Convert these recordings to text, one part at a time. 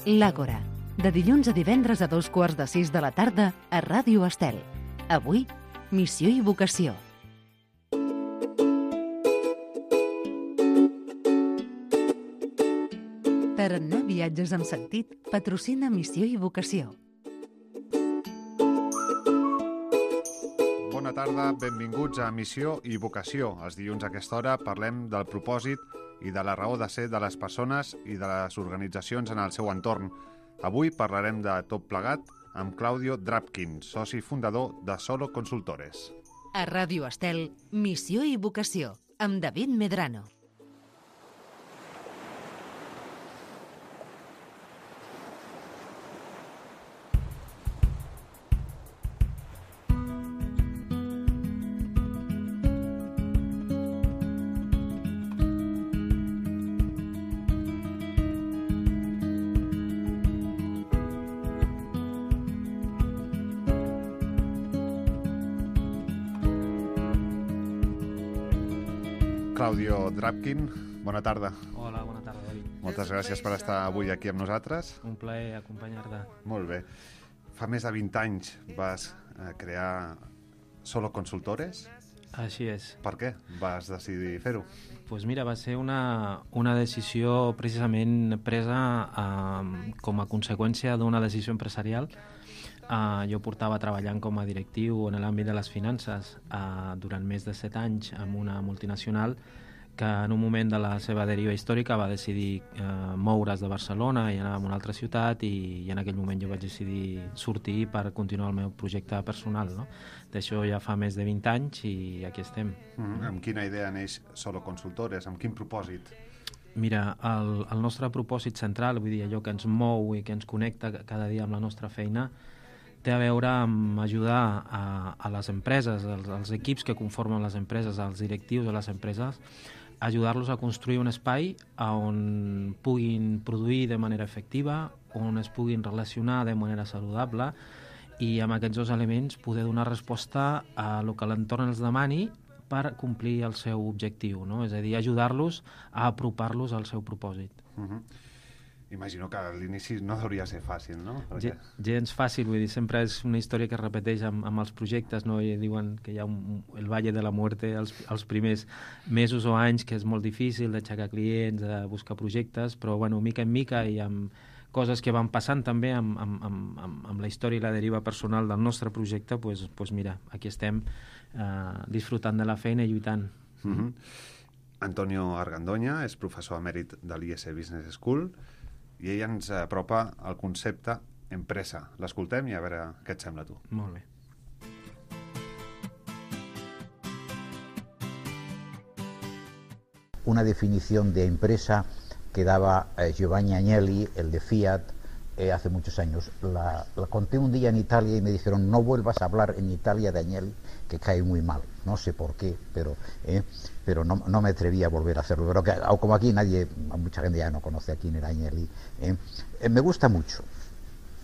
L'Àgora, de dilluns a divendres a 2:15 de la tarda a Ràdio Estel. Avui, missió i vocació. Tarannà Viatges amb Sentit patrocina Missió i Vocació. Bona tarda, benvinguts a Missió i Vocació. Els dilluns a aquesta hora parlem del propòsit i de la raó de ser de les persones i de les organitzacions en el seu entorn. Avui parlarem de tot plegat amb Claudio Drapkin, soci fundador de Solo Consultores. A Ràdio Estel, Missió i Vocació, amb David Medrano. Claudio Drapkin, bona tarda. Hola, bona tarda, David. Moltes gràcies per estar avui aquí amb nosaltres. Un plaer acompanyar-te. Molt bé. Fa més de 20 anys vas crear Solo Consultores. Així és. Per què vas decidir fer-ho? Pues mira, va ser una decisió precisament presa com a conseqüència d'una decisió empresarial. Jo portava treballant com a directiu en l'àmbit de les finances durant més de 7 anys amb una multinacional que en un moment de la seva deriva històrica va decidir moure's de Barcelona i anar a una altra ciutat i en aquell moment jo vaig decidir sortir per continuar el meu projecte personal. No? D'això ja fa més de 20 anys i aquí estem. Amb quina idea neix Solo Consultores? Amb quin propòsit? Mira, el nostre propòsit central, vull dir, allò que ens mou i que ens connecta cada dia amb la nostra feina, té a veure amb ajudar a les empreses, als equips que conformen les empreses, als directius de les empreses, ajudar-los a construir un espai on puguin produir de manera efectiva, on es puguin relacionar de manera saludable i amb aquests dos elements poder donar resposta a el que l'entorn els demani per complir el seu objectiu, no? És a dir, ajudar-los a apropar-los al seu propòsit. Imagino que a l'inici no hauria de ser fàcil, no? Perquè... Gens fàcil, vull dir, sempre és una història que es repeteix amb els projectes, no? I diuen que hi ha el Valle de la Muerte els primers mesos o anys, que és molt difícil d'aixecar clients, de buscar projectes, però, bueno, mica en mica i amb coses que van passant també amb la història i la deriva personal del nostre projecte, pues mira, aquí estem disfrutant de la feina i lluitant. Antonio Argandoña és professor emèrit de l'IS Business School i ell ens apropa al concepte empresa. L'escoltem i a veure què et sembla a tu. Molt bé. Una definición de empresa que daba Giovanni Agnelli, el de Fiat, hace muchos años. La conté un día en Italia y me dijeron: no vuelvas a hablar en Italia de Agnelli, que cae muy mal. No sé por qué, pero no me atreví a volver a hacerlo. Pero como aquí mucha gente ya no conoce a quién era Agnelli. Me gusta mucho.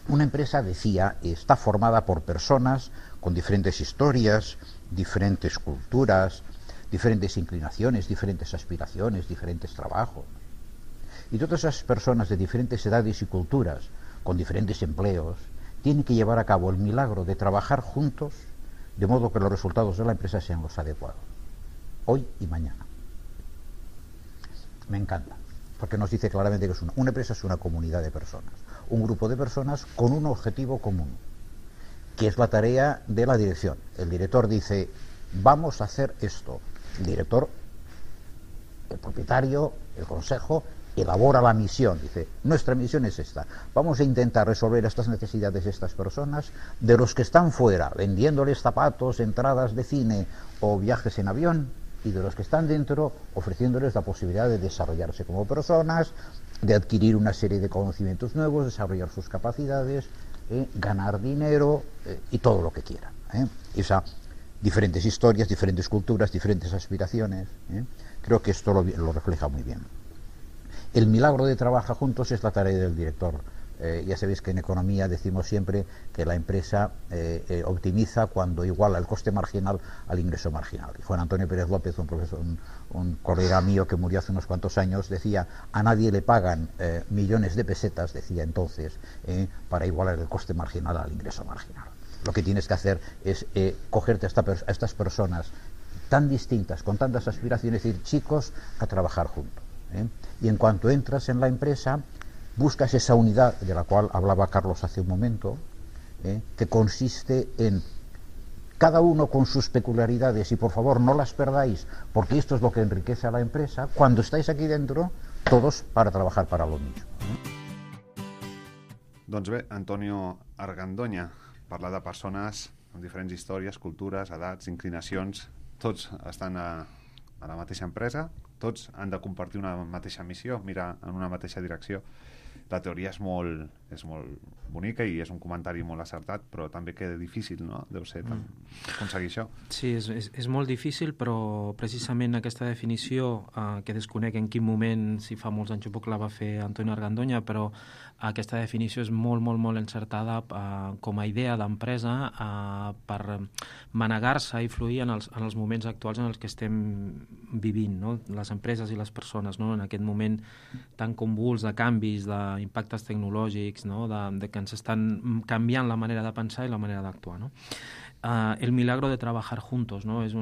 Una empresa, decía, está formada por personas con diferentes historias, diferentes culturas, diferentes inclinaciones, diferentes aspiraciones, diferentes trabajos. Y todas esas personas de diferentes edades y culturas, con diferentes empleos, tienen que llevar a cabo el milagro de trabajar juntos de modo que los resultados de la empresa sean los adecuados, hoy y mañana. Me encanta, porque nos dice claramente que una empresa es una comunidad de personas, un grupo de personas con un objetivo común, que es la tarea de la dirección. El director dice: vamos a hacer esto. El director, el propietario, el consejo, elabora la misión, dice: nuestra misión es esta, vamos a intentar resolver estas necesidades de estas personas, de los que están fuera, vendiéndoles zapatos, entradas de cine o viajes en avión, y de los que están dentro, ofreciéndoles la posibilidad de desarrollarse como personas, de adquirir una serie de conocimientos nuevos, desarrollar sus capacidades, ganar dinero y todo lo que quieran. Diferentes historias, diferentes culturas, diferentes aspiraciones. Creo que esto lo refleja muy bien. El milagro de trabajar juntos es la tarea del director Ya sabéis que en economía decimos siempre que la empresa optimiza cuando iguala el coste marginal al ingreso marginal. Y Juan Antonio Pérez López, un profesor, un colega mío que murió hace unos cuantos años, decía: a nadie le pagan millones de pesetas, decía entonces, para igualar el coste marginal al ingreso marginal. Lo que tienes que hacer es cogerte a estas personas tan distintas, con tantas aspiraciones, y decir: chicos, a trabajar juntos. Y en cuanto entras en la empresa, buscas esa unidad de la cual hablaba Carlos hace un momento, que consiste en cada uno con sus peculiaridades, y por favor no las perdáis, porque esto es lo que enriquece a la empresa. Cuando estáis aquí dentro, todos para trabajar para lo mismo. Doncs bé, Antonio Argandoña, parlar de persones amb diferents històries, cultures, edats, inclinacions, tots estan a la mateixa empresa, tots han de compartir una mateixa missió, mirar en una mateixa direcció. La teoria és molt bonica i és un comentari molt acertat, però també que difícil, no? Deu ser aconseguir això. Sí, és molt difícil, però precisament aquesta definició, que desconec en quin moment, si fa molts anys o poc la va fer Antonio Argandoña, però aquesta definició és molt encertada com a idea d'empresa per manegar-se i fluir en els moments actuals en els que estem vivint, no? Les empreses i les persones, no? En aquest moment tan convuls de canvis, d'impactes tecnològics, no? De que ens estan canviant la manera de pensar i la manera d'actuar, no? El milagro de trabajar juntos, no? És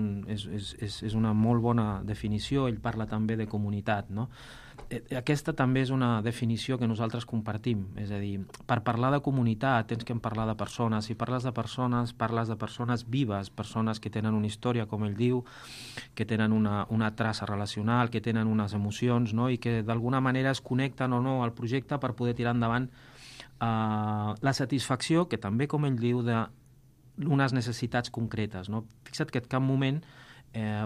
una molt bona definició. Ell parla també de comunitat, no? Aquesta també és una definició que nosaltres compartim, és a dir, per parlar de comunitat tens que parlar de persones. Si parles de persones, parles de persones vives, persones que tenen una història, com ell diu, que tenen una traça relacional, que tenen unes emocions, no? I que d'alguna manera es connecten o no al projecte per poder tirar endavant la satisfacció, que també, com ell diu, d'unes necessitats concretes, no? Fixa't que en cap moment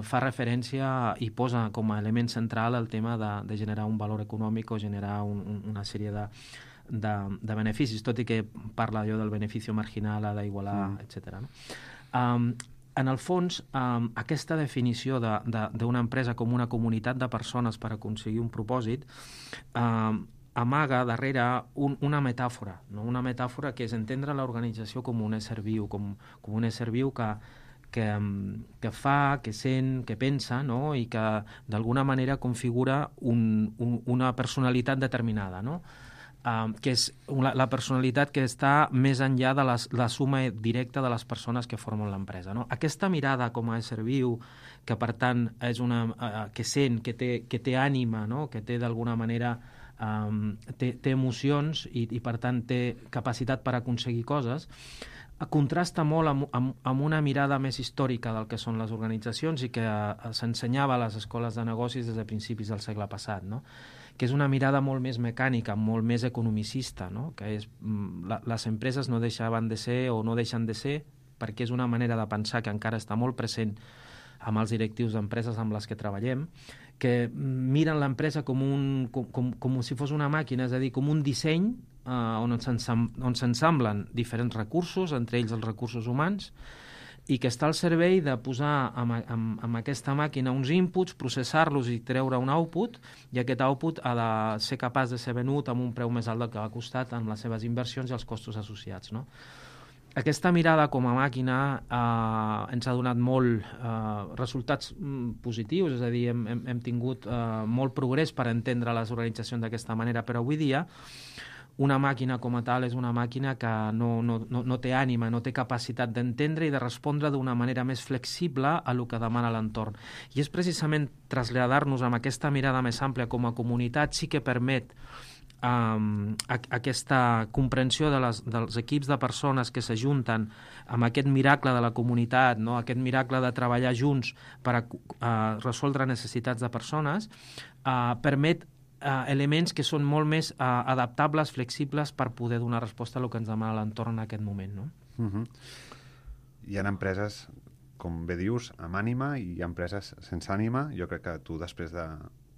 fa referència i posa com a element central el tema de generar un valor econòmic o generar una sèrie de beneficis, tot i que parla allò del benefici marginal, d'igualar, etc. No? En el fons, aquesta definició d'una empresa com una comunitat de persones per aconseguir un propòsit amaga darrere una metàfora, no? Una metàfora que és entendre l'organització com un ésser viu, com un ésser viu que fa, que sent, que pensa, no? I que d'alguna manera configura una personalitat determinada, no? Que és la personalitat que està més enllà de la suma directa de les persones que formen l'empresa, no? Aquesta mirada com a ésser viu, que per tant és que sent, que té ànima, no? Que té d'alguna manera té emocions i per tant té capacitat per aconseguir coses, contrasta molt amb una mirada més històrica del que són les organitzacions i que s'ensenyava a les escoles de negocis des de principis del segle passat, no? Que és una mirada molt més mecànica, molt més economicista, no? Que les empreses no deixaven de ser o no deixen de ser perquè és una manera de pensar que encara està molt present amb els directius d'empreses amb les que treballem, que miren l'empresa com si fos una màquina, és a dir, com un disseny on s'ensamblen diferents recursos, entre ells els recursos humans, i que està al servei de posar amb aquesta màquina uns inputs, processar-los i treure un output, i aquest output ha de ser capaç de ser venut amb un preu més alt del que ha costat amb les seves inversions i els costos associats, no? Aquesta mirada com a màquina ens ha donat molt resultats positius, és a dir, hem tingut molt progrés per entendre les organitzacions d'aquesta manera, però avui dia una màquina com a tal és una màquina que no té ànima, no té capacitat d'entendre i de respondre d'una manera més flexible a el que demana l'entorn. I és precisament traslladar-nos amb aquesta mirada més àmplia com a comunitat sí que permet aquesta comprensió dels equips de persones que s'ajunten amb aquest miracle de la comunitat, no? Aquest miracle de treballar junts per resoldre necessitats de persones, permet elements que són molt més adaptables, flexibles per poder donar resposta a el que ens demana l'entorn en aquest moment, no? Hi ha empreses, com bé dius, amb ànima, i hi ha empreses sense ànima. Jo crec que tu, després de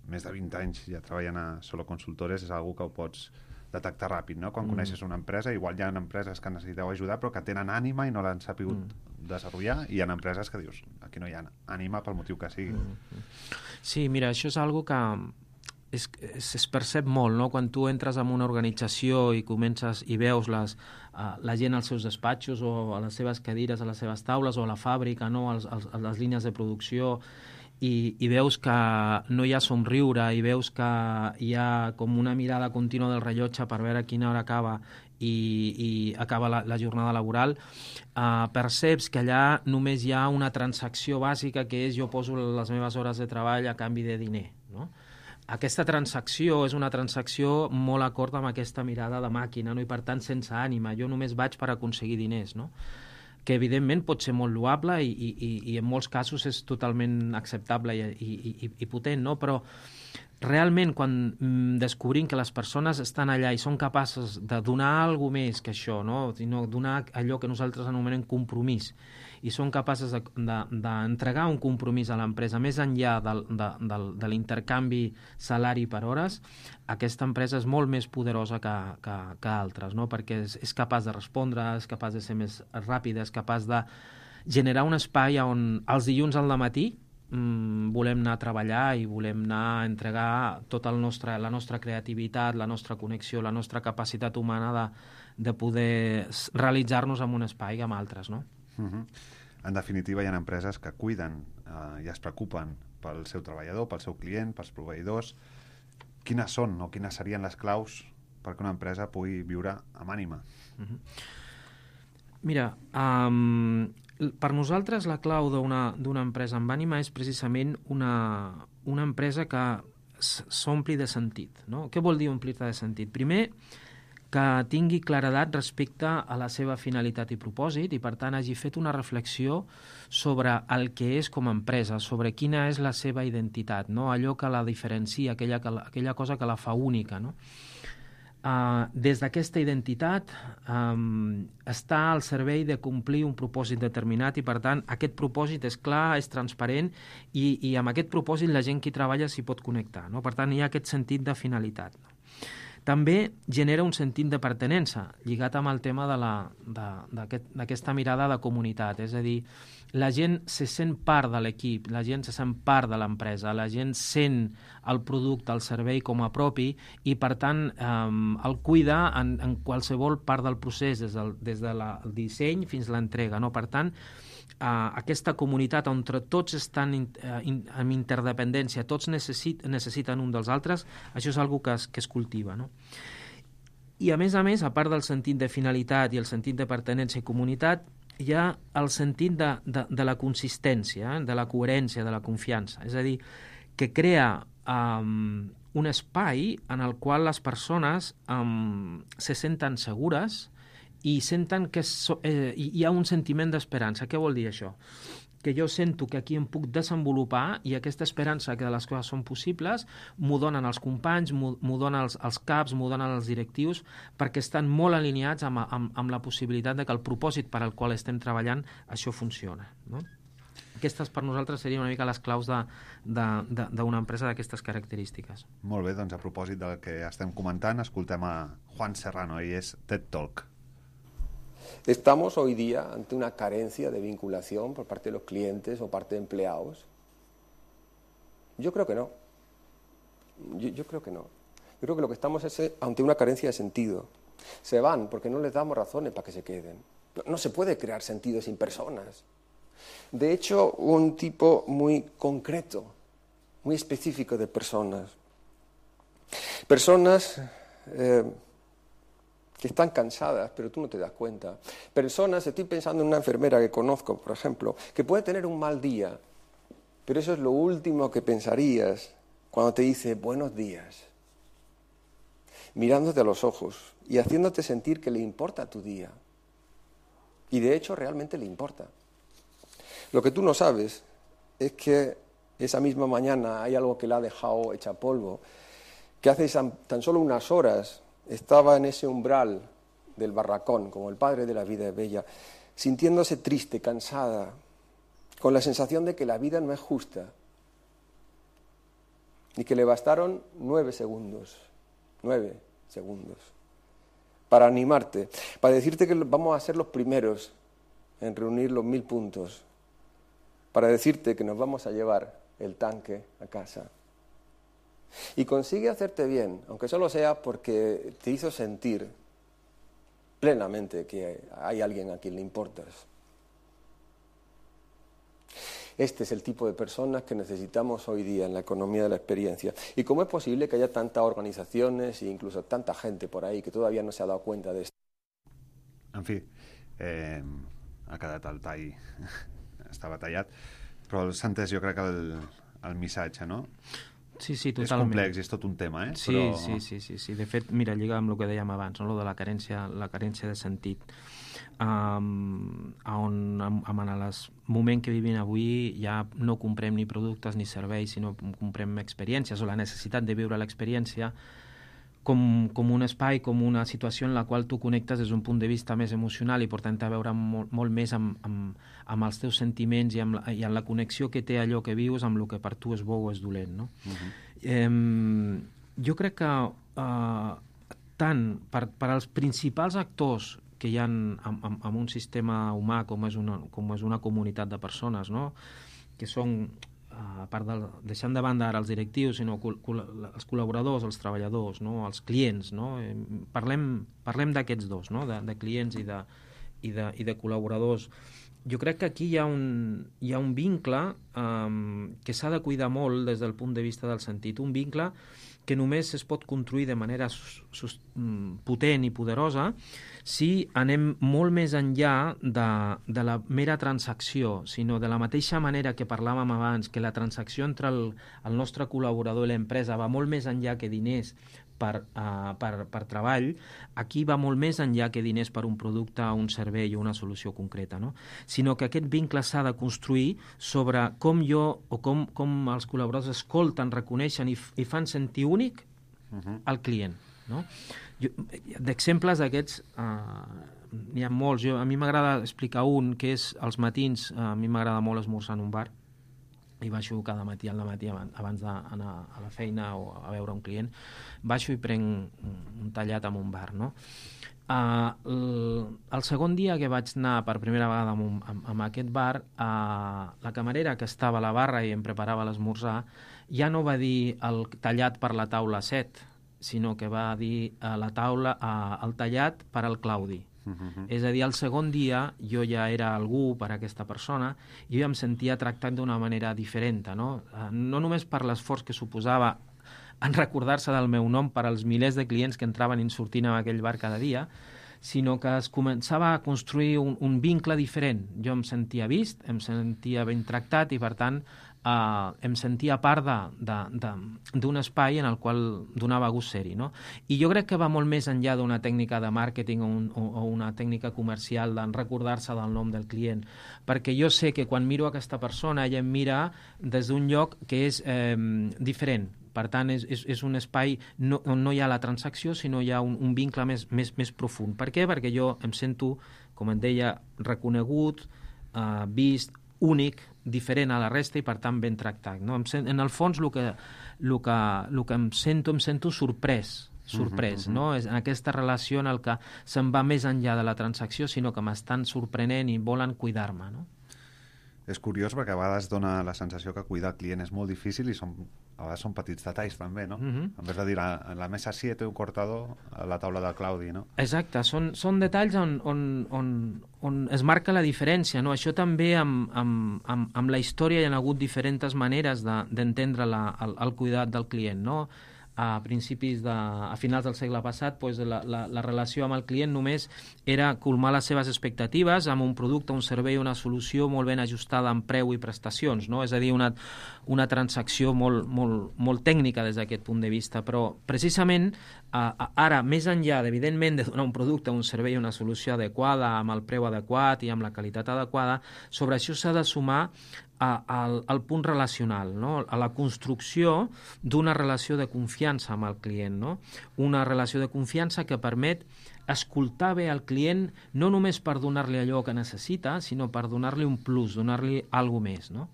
més de 20 anys ja treballant a Solo Consultores, és algo que ho pots detectar ràpid, no? Quan coneixes una empresa, igual hi ha empreses que necessiteu ajudar però que tenen ànima i no l'han sapigut desenvolupar, i hi ha empreses que dius, aquí no hi ha ànima pel motiu que sigui. Sí, mira, això és algo que es percep molt, no? Quan tu entres en una organització i comences i veus la gent als seus despatxos o a les seves cadires, a les seves taules o a la fàbrica, no? A les línies de producció, i veus que no hi ha somriure i veus que hi ha com una mirada contínua del rellotge per veure a quina hora acaba i acaba la jornada laboral, perceps que allà només hi ha una transacció bàsica, que és jo poso les meves hores de treball a canvi de diner, no? Aquesta transacció és una transacció molt acord amb aquesta mirada de màquina, no? I per tant sense ànima, jo només vaig per aconseguir diners, no? Que evidentment pot ser molt loable i en molts casos és totalment acceptable i potent, no? Però realment quan descobrim que les persones estan allà i són capaces de donar alguna més que això, no? Donar allò que nosaltres anomenem compromís, i són capaces d'entregar un compromís a l'empresa més enllà de l'intercanvi salari per hores, aquesta empresa és molt més poderosa que altres, no? Perquè és capaç de respondre, és capaç de ser més ràpida, és capaç de generar un espai on els dilluns al matí volem anar a treballar i volem anar a entregar tota la nostra creativitat, la nostra connexió, la nostra capacitat humana de poder realitzar-nos en un espai amb altres, no? En definitiva, hi ha empreses que cuiden i es preocupen pel seu treballador, pel seu client, pels proveïdors. Quines són o quines serien les claus perquè una empresa pugui viure amb ànima? Mira, per nosaltres la clau d'una empresa amb ànima és precisament una empresa que s'ompli de sentit, no? Què vol dir omplir-te de sentit? Primer, que tingui claredat respecte a la seva finalitat i propòsit i, per tant, hagi fet una reflexió sobre el que és com a empresa, sobre quina és la seva identitat, no? Allò que la diferencia, aquella cosa que la fa única, no? Des d'aquesta identitat està al servei de complir un propòsit determinat i, per tant, aquest propòsit és clar, és transparent i amb aquest propòsit la gent que hi treballa s'hi pot connectar, no? Per tant, hi ha aquest sentit de finalitat, no? També genera un sentit de pertinença, lligat amb el tema d'aquesta mirada de comunitat. És a dir, la gent se sent part de l'equip, la gent se sent part de l'empresa, la gent sent el producte, el servei com a propi i, per tant, el cuida en qualsevol part del procés, des del disseny fins a l'entrega, no? Per tant, aquesta comunitat on tots estan en interdependència, tots necessiten un dels altres, això és una cosa que es cultiva, no? I a més, a part del sentit de finalitat i el sentit de pertinença i comunitat, hi ha el sentit de la consistència, de la coherència, de la confiança. És a dir, que crea un espai en el qual les persones se senten segures i senten que hi ha un sentiment d'esperança. Què vol dir això? Que jo sento que aquí em puc desenvolupar i aquesta esperança que les coses són possibles m'ho donen els companys, m'ho donen els caps, m'ho donen els directius, perquè estan molt alineats amb la possibilitat de que el propòsit per al qual estem treballant això funciona, no? Aquestes per nosaltres serien una mica les claus d'una empresa d'aquestes característiques. Molt bé, doncs a propòsit del que estem comentant, escoltem a Juan Serrano, ell és TED Talk. ¿Estamos hoy día ante una carencia de vinculación por parte de los clientes o parte de empleados? Yo creo que no. Yo creo que no. Yo creo que lo que estamos es ante una carencia de sentido. Se van porque no les damos razones para que se queden. No se puede crear sentido sin personas. De hecho, un tipo muy concreto, muy específico de personas. Personas que están cansadas, pero tú no te das cuenta. Personas, estoy pensando en una enfermera que conozco, por ejemplo, que puede tener un mal día, pero eso es lo último que pensarías cuando te dice buenos días, mirándote a los ojos y haciéndote sentir que le importa tu día. Y de hecho realmente le importa. Lo que tú no sabes es que esa misma mañana hay algo que la ha dejado hecha polvo, que hace tan solo unas horas estaba en ese umbral del barracón, como el padre de la vida es bella, sintiéndose triste, cansada, con la sensación de que la vida no es justa, y que le bastaron 9 segundos, para animarte, para decirte que vamos a ser los primeros en reunir los 1000 puntos, para decirte que nos vamos a llevar el tanque a casa. Y consigue hacerte bien, aunque solo sea porque te hizo sentir plenamente que hay alguien a quien le importas. Este es el tipo de personas que necesitamos hoy día en la economía de la experiencia. ¿Y cómo es posible que haya tantas organizaciones e incluso tanta gente por ahí que todavía no se ha dado cuenta de esto? En fi, ha quedat el tall, estava tallat, però s'ha entès jo crec el missatge, no? Sí, totalment. És complex, és tot un tema, Sí, però... sí. De fet, mira, lliga amb el que dèiem abans, no? Lo de la carència de sentit. En el moment que vivim avui ja no comprem ni productes ni serveis, sinó comprem experiències, o la necessitat de viure l'experiència com un espai, com una situació en la qual tu connectes des d'un punt de vista més emocional i per tant a veure molt més amb els teus sentiments i amb la connexió que té allò que vius amb el que per tu és bo o és dolent, no? Jo crec que tant per als principals actors que hi ha en un sistema humà com és una comunitat de persones, no? Que són, a part deixant de banda ara els directius, sinó els col·laboradors, els treballadors, no? Els clients, no? Parlem d'aquests dos, no? De clients i de col·laboradors. Jo crec que aquí hi ha un vincle que s'ha de cuidar molt des del punt de vista del sentit, un vincle que només es pot construir de manera potent i poderosa si anem molt més enllà de la mera transacció, sinó de la mateixa manera que parlàvem abans, que la transacció entre el nostre col·laborador i l'empresa va molt més enllà que diners per treball, aquí va molt més enllà que diners per un producte, un servei o una solució concreta, no? Sinó que aquest vincle s'ha de construir sobre com jo o com els col·laboradors escolten, reconeixen i fan sentir únic al client, no? D'exemples d'aquests n'hi ha molts. A mi m'agrada explicar un, que és als matins, a mi m'agrada molt esmorzar en un bar, i baixo cada matí al matí abans d'anar a la feina o a veure un client, baixo i prenc un tallat en un bar, no? El segon dia que vaig anar per primera vegada a aquest bar, la camarera que estava a la barra i em preparava l'esmorzar ja no va dir el tallat per la taula 7, sinó que va dir el tallat per al Claudi. És a dir, el segon dia jo ja era algú per a aquesta persona i jo em sentia tractat d'una manera diferent, no? No només per l'esforç que suposava en recordar-se del meu nom per als milers de clients que entraven i sortint a aquell bar cada dia, sinó que es començava a construir un vincle diferent. Jo em sentia vist, em sentia ben tractat i, per tant, em sentia part d'un espai en el qual donava gust ser-hi, no? I jo crec que va molt més enllà d'una tècnica de màrqueting o una tècnica comercial d'en recordar-se del nom del client, perquè jo sé que quan miro aquesta persona ella em mira des d'un lloc que és diferent. Per tant, és un espai on no hi ha la transacció, sinó hi ha un vincle més profund. Per què? Perquè jo em sento, com et deia, reconegut, vist, únic, diferent a la resta i, per tant, ben tractat, no? En el fons, el que em sento sorprès, no? És en aquesta relació en el que se'n va més enllà de la transacció, sinó que m'estan sorprenent i volen cuidar-me, no? És curiós perquè a vegades dona la sensació que cuidar el client és molt difícil i a vegades són petits detalls també, no? En vez de dir en la mesa 7 un cortador a la taula del Claudi, no? Exacte, són detalls on es marca la diferència, no? Això també amb la història hi ha hagut diferents maneres d'entendre el cuidat del client, no? A finals del segle passat, doncs, la relació amb el client només era colmar les seves expectatives amb un producte, un servei, una solució molt ben ajustada en preu i prestacions, no? És a dir, una transacció molt tècnica des d'aquest punt de vista, però precisament ara, més enllà, evidentment, de donar un producte, un servei, una solució adequada, amb el preu adequat i amb la qualitat adequada, sobre això s'ha de sumar al punt relacional, no? A la construcció d'una relació de confiança amb el client, no? Una relació de confiança que permet escoltar bé el client no només per donar-li allò que necessita, sinó per donar-li un plus, donar-li alguna més, no?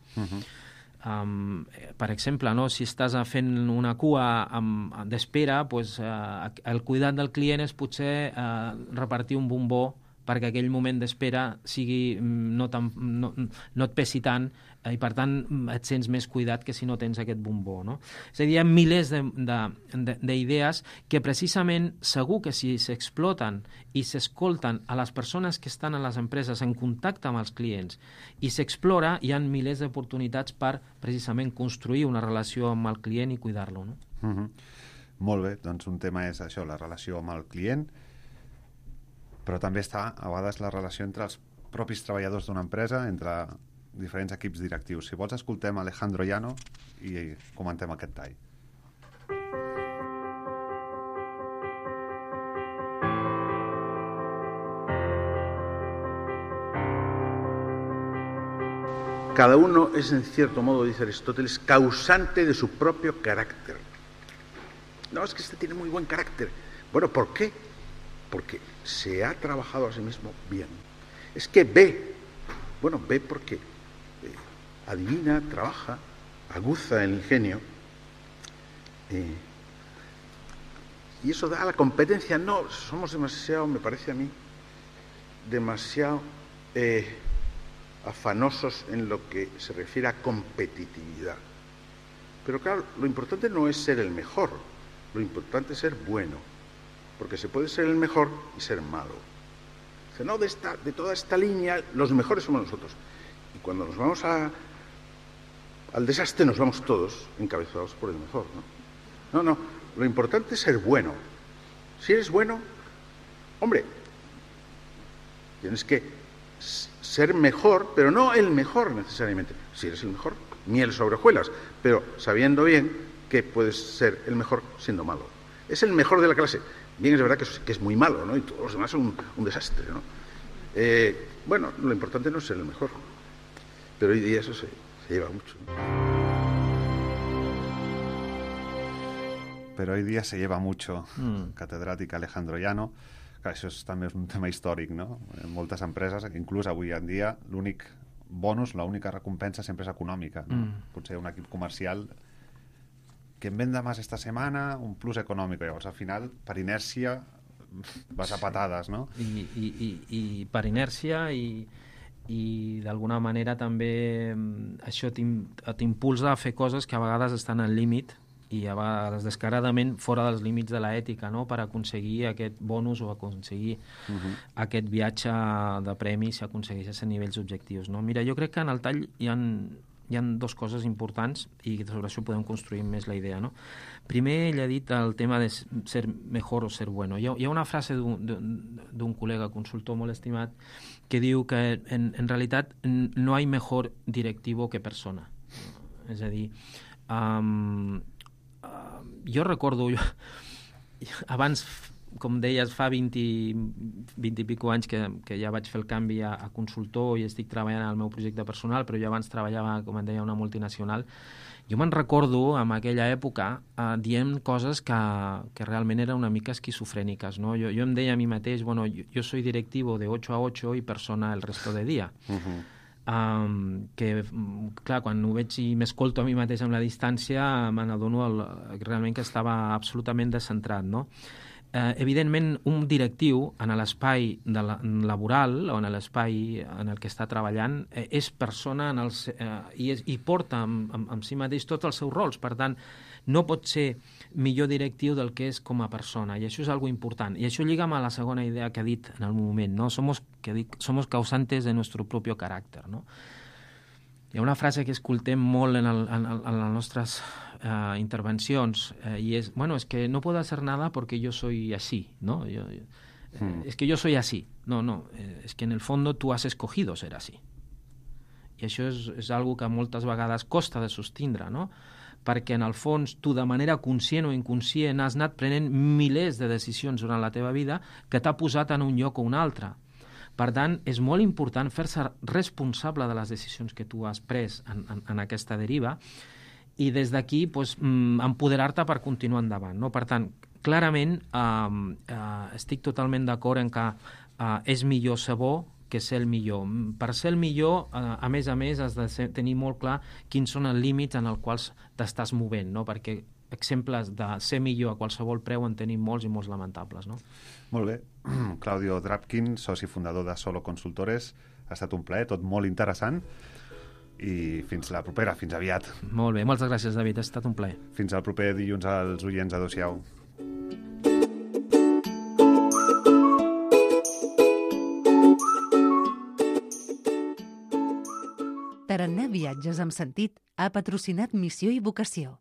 Per exemple, no? Si estàs fent una cua d'espera, doncs, el cuidat del client és potser repartir un bombó perquè aquell moment d'espera sigui no et pesi tant i per tant et sents més cuidat que si no tens aquest bombó, no? És a dir, hi ha milers d'idees que precisament segur que si s'exploten i s'escolten a les persones que estan a les empreses en contacte amb els clients i s'explora, hi ha milers d'oportunitats per precisament construir una relació amb el client i cuidar-lo, no? Molt bé, doncs un tema és això, la relació amb el client, però també està a vegades la relació entre els propis treballadors d'una empresa, entre diferents equips directius. Si vols, escoltem Alejandro Llano i comentem aquest tall. Cada uno es, en cierto modo, dice Aristóteles, causante de su propio carácter. No, es que este tiene muy buen carácter. Bueno, ¿por qué? Porque se ha trabajado a sí mismo bien. Es que ve porque adivina, trabaja, aguza el ingenio. Y eso da a la competencia. No, somos demasiado, me parece a mí, demasiado afanosos en lo que se refiere a competitividad. Pero claro, lo importante no es ser el mejor, lo importante es ser bueno, porque se puede ser el mejor y ser malo. Dice, no, de toda esta línea, los mejores somos nosotros. Y cuando nos vamos al desastre, nos vamos todos encabezados por el mejor, ¿no? No, lo importante es ser bueno. Si eres bueno, hombre, tienes que ser mejor, pero no el mejor necesariamente. Si eres el mejor, miel sobre hojuelas, pero sabiendo bien que puedes ser el mejor siendo malo. Es el mejor de la clase. Bien, es verdad que es muy malo, ¿no? Y todos los demás son un desastre, ¿no? Bueno, lo importante no es ser el mejor, pero hoy día eso se lleva mucho, ¿no? Pero hoy día se lleva mucho, catedràtic Alejandro Llano. Clar, això també és un tema històric, no? En moltes empreses, inclús avui en dia, l'únic bonus, l'única recompensa sempre és econòmica, no? Potser un equip comercial que en venda más esta semana, un plus econòmic. Llavors, al final, per inèrcia, vas a patades, no? I per inèrcia i d'alguna manera també això t'impulsa a fer coses que a vegades estan al límit i a vegades descaradament fora dels límits de l'ètica, no?, per aconseguir aquest bonus o aconseguir aquest viatge de premis si aconsegueixes a nivells objectius, no? Mira, jo crec que en el tall hi ha dues coses importants i sobre això podem construir més la idea, no? Primer, ell ha dit el tema de ser mejor o ser bueno. Hi ha una frase d'un col·lega consultor molt estimat que diu que en realitat no hi ha mejor directivo que persona. És a dir, jo recordo, abans, com deies, fa 20 i pico anys que ja vaig fer el canvi a consultor i estic treballant al meu projecte personal, però jo abans treballava, com en deia, una multinacional. Jo me'n recordo, en aquella època, dient coses que realment eren una mica esquizofrèniques, no? Jo em deia a mi mateix, bueno, yo soy directivo de 8 a 8 y persona el resto de día. Que, clar, quan ho veig i m'escolto a mi mateix amb la distància, me n'adono realment que estava absolutament descentrat, no? Evidentment, un directiu en l'espai laboral o en l'espai en el que està treballant és persona i porta amb si mateix tots els seus rols. Per tant, no pot ser millor directiu del que és com a persona, i això és algo important. I això lliga amb la segona idea que ha dit en el moment, no? Somos causantes de nuestro propio carácter, no? Hi ha una frase que escoltem molt en les nostres intervencions y es, bueno, es que no puedo hacer nada porque yo soy así, ¿no? Es que yo soy así. No, es que en el fondo tú has escogido ser así. I això és algo que moltes vegades costa de sostindre, no? Perquè en el fons tu de manera conscient o inconscient has anat prenent milers de decisions durant la teva vida que t'ha posat en un lloc o un altre. Per tant, és molt important fer-se responsable de les decisions que tu has pres en aquesta deriva i des d'aquí empoderar-te per continuar endavant, no? Per tant, clarament estic totalment d'acord en que és millor ser bo que ser el millor. Per ser el millor, a més, has de tenir molt clar quins són els límits en els quals t'estàs movent, no? Perquè exemples de ser millor a qualsevol preu en tenim molts i molts lamentables, no? Molt bé. Claudio Drapkin, soci fundador de Solo Consultores, ha estat un plaer, tot molt interessant, i fins la propera, fins aviat. Molt bé, moltes gràcies, David, ha estat un plaer. Fins al proper dilluns als oients, adéu-siau. Tarannà Viatges amb Sentit ha patrocinat Missió i Vocació.